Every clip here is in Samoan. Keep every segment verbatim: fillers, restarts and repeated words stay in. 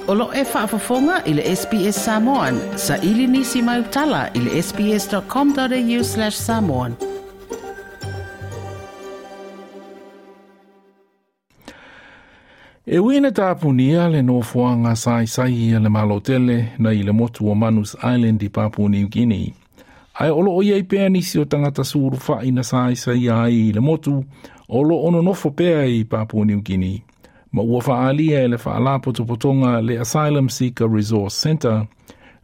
O lo e faafofoga i le S B S Samoan, sa ili nisi mai utala i le S B S dot com dot A U slash samoan. E ui ina tapunia le nofoaga saisai a le Malotele na i le motu o Manus Island i Papua New Guinea. Ae o loo iai pea nisi o tagata sulufai na saisai ai i le motu o lo o nonofo pea i Papua New Guinea. Ma ua faalia e le faalapotopotoga le Asylum Seeker Resource Centre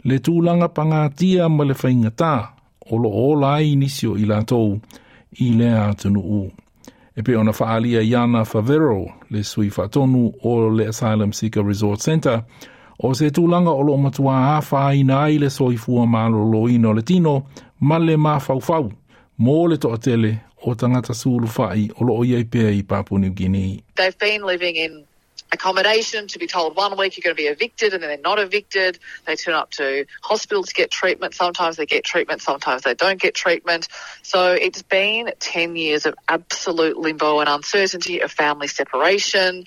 le tulaga pagatia ma le faigatā o lo o ola ai nisi o i latou i lea atunuu. E pei ona faalia Iana Favero, le sui faatonu o le Asylum Seeker Resource Centre, o se tulaga o lo o matuā afaina ai le soifua malōlōina o le tino ma le mafaufau mo le toatele o tagata sulufai o lo o iai pea i Papua New Guinea. They've been living in accommodation to be told one week you're going to be evicted and then they're not evicted. They turn up to hospital to get treatment. Sometimes they get treatment, sometimes they don't get treatment. So it's been ten years of absolute limbo and uncertainty, of family separation.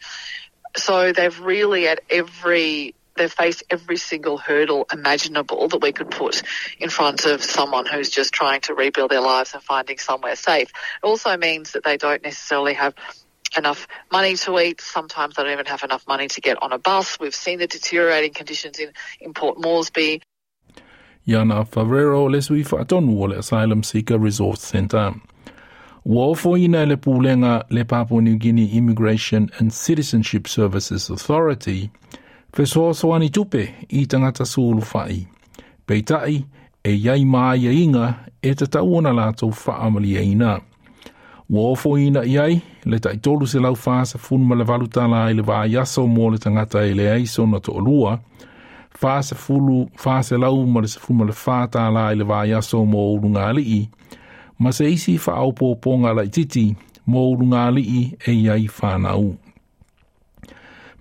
So they've really at every they've faced every single hurdle imaginable that we could put in front of someone who's just trying to rebuild their lives and finding somewhere safe. It also means that they don't necessarily have enough money to eat. Sometimes they don't even have enough money to get on a bus. We've seen the deteriorating conditions in, in Port Moresby. Iana Favero, le sui faatonu o le Asylum Seeker Resource Centre. Ua ofoina e le pulega le Papua New Guinea Immigration and Citizenship Services Authority fesoasoani tupe i tagata sulufai. Peitai e iai ma aiaiga e tatau ona latou faamalieina. Ua ofoina i ai le tai tolu selau fasefulu ma le valu tālā i le vaiaso mo le tagata e leai sona toalua, fasefulu faselau ma le sefulu ma le fa tālā i le vaiaso mo ulugalii, ma se isi faaopoopoga laititi mo ulugalii e iai fanau.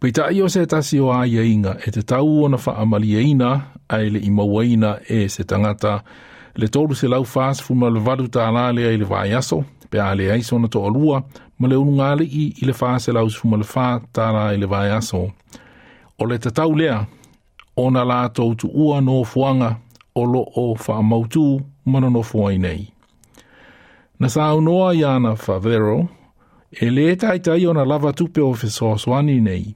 Peitai o se tasi o aiaiga e tatau ona faamalieina ae le'i mauaina e se tagata le tolu selau fasefulu ma le valu tālā lea i le vaiaso, pe a leai sona toalua, ma le ulugalii i le faselau sefulu ma le fa tālā i le vaiaso. O le tatau lea, ona latou tuua nofoaga o lo o faamautū ma nonofo ai nei. Na saunoa Iana Favero, e lē taitai ona lava tupe o fesoasoani nei,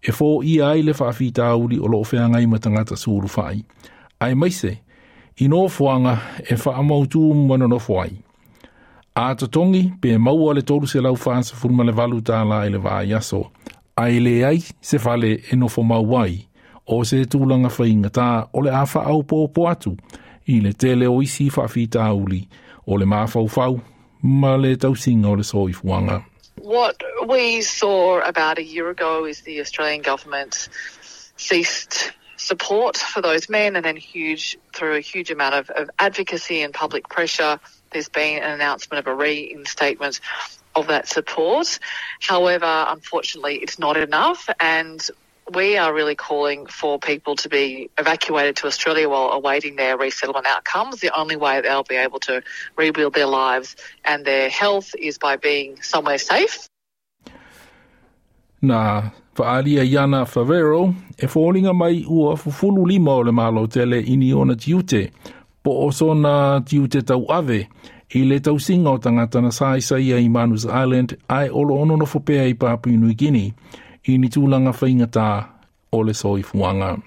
e foia ai le faafitauli o lo o feagai ma tagata sulufai. Aemaise, i nofoaga e faamautū ma nonofo ai. A totogi pe maua le tolu selau fasefulu ma le valu tālā i le vaiaso, ae leai se fale e nofo mau ai, o se tulaga faigatā o le a faaopoopo atu i le tele o isi faafitauli o le mafaufau ma le tausiga o le soifuaga. What we saw about a year ago is the Australian government ceased support for those men, and then huge through a huge amount of, of advocacy and public pressure, there's been an announcement of a reinstatement of that support. However, unfortunately, it's not enough, and we are really calling for people to be evacuated to Australia while awaiting their resettlement outcomes. The only way they'll be able to rebuild their lives and their health is by being somewhere safe. Na faalia Iana Favero e foliga mai ua fufulu lima o le Malotele i ni ona tiute, po o sona tiute tauave i le tausiga o tagata na saisaia i Manus Island ae o lo o nonofo pea i Papua New Guinea i ni tulaga faigatā o le soifuaga.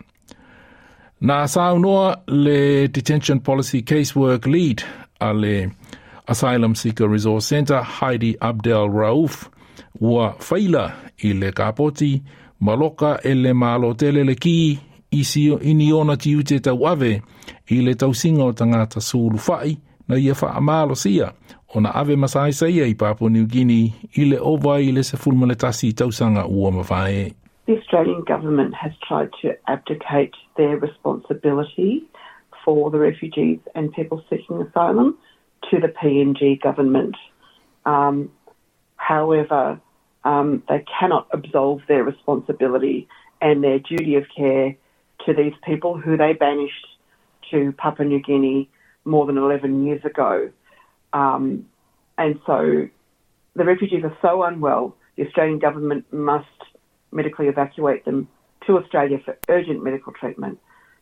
Na saunoa le Detention Policy Casework Lead a le Asylum Seeker Resource Centre, Heidi Abdel Rauf, ua faila i le kapoti maloka e le Malotele le ki i si i ni ona tiute tauave i le tausiga o tagata sulufai na ia faamalosia ona ave masaisaia i Papua New Guinea i le ova i le sefulu ma le tasi tausaga ua mavae. The Australian government has tried to abdicate their responsibility for the refugees and people seeking asylum to the P N G government. Um, however, um, they cannot absolve their responsibility and their duty of care to these people who they banished to Papua New Guinea more than eleven years ago. Um, and so the refugees are so unwell, the Australian government must medically evacuate them to Australia for urgent medical treatment.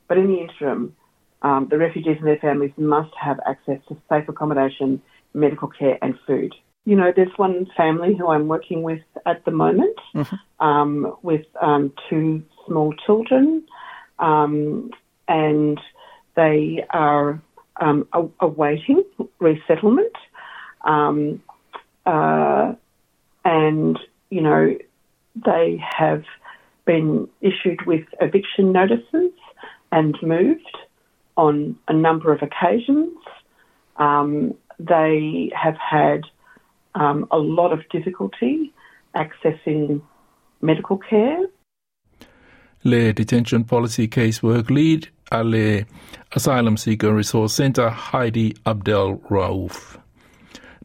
But in the interim, um, the refugees and their families must have access to safe accommodation, medical care and food. You know, there's one family who I'm working with at the moment, mm-hmm. um, with um, two small children, um, and they are um, awaiting resettlement. Um, uh, and, you know, they have been issued with eviction notices and moved on a number of occasions. Um, they have had um, a lot of difficulty accessing medical care. Le Detention Policy Casework Lead a le Asylum Seeker Resource Centre Heidi Abdel Rauf.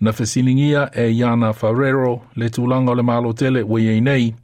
Na fesiligia e Iana Ferrero le tulaga o le Malo tele ua i ai nei,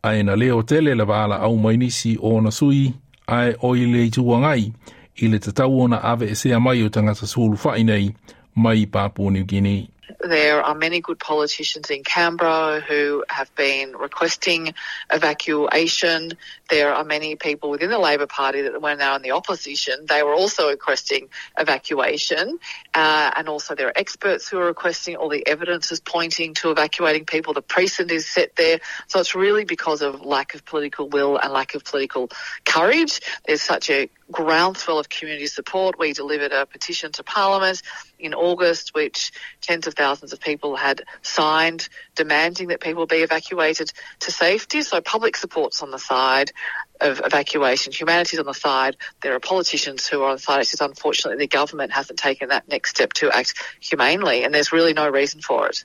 ae na leo tele le valaau mai nisi o ona sui ae o i le Itu Agai i le tatau ona aveesea mai o tagata sulufai nei mai Papua New Guinea. There are many good politicians in Canberra who have been requesting evacuation. There are many people within the Labor Party that were now in the opposition. They were also requesting evacuation. Uh, and also there are experts who are requesting, all the evidence is pointing to evacuating people. The precedent is set there. So it's really because of lack of political will and lack of political courage. There's such a groundswell of community support. We delivered a petition to Parliament in August, which tens of thousands of people had signed, demanding that people be evacuated to safety. So public support's on the side of evacuation. Humanity's on the side. There are politicians who are on the side. It's just unfortunately the government hasn't taken that next step to act humanely, and there's really no reason for it.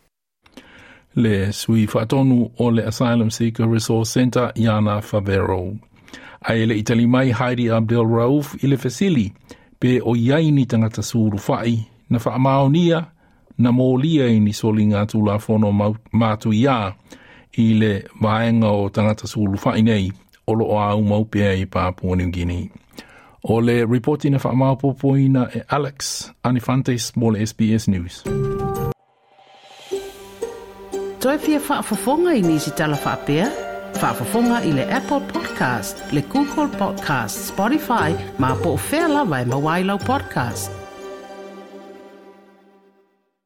Le sui faatonu o le Asylum Seeker Resource Centre Iana Favero. Ae le i tali mai Heidi Abdel Rauf i le fesili pe o i ai ni tagata sulufai na faamaonia na molia i ni soliga tulafono matuia i le vaega o tagata sulufai nei o lo o aumau pea i Papua New Guinea. O le ripoti na faamaopoopoina e Alex Anifantes mo le S B S News. Toe fia faafofoga i nisi tala faapea? Faafofoga i le Apple Podcast, le Google Podcast, Spotify, ma po o fea lava e maua ai lau podcast.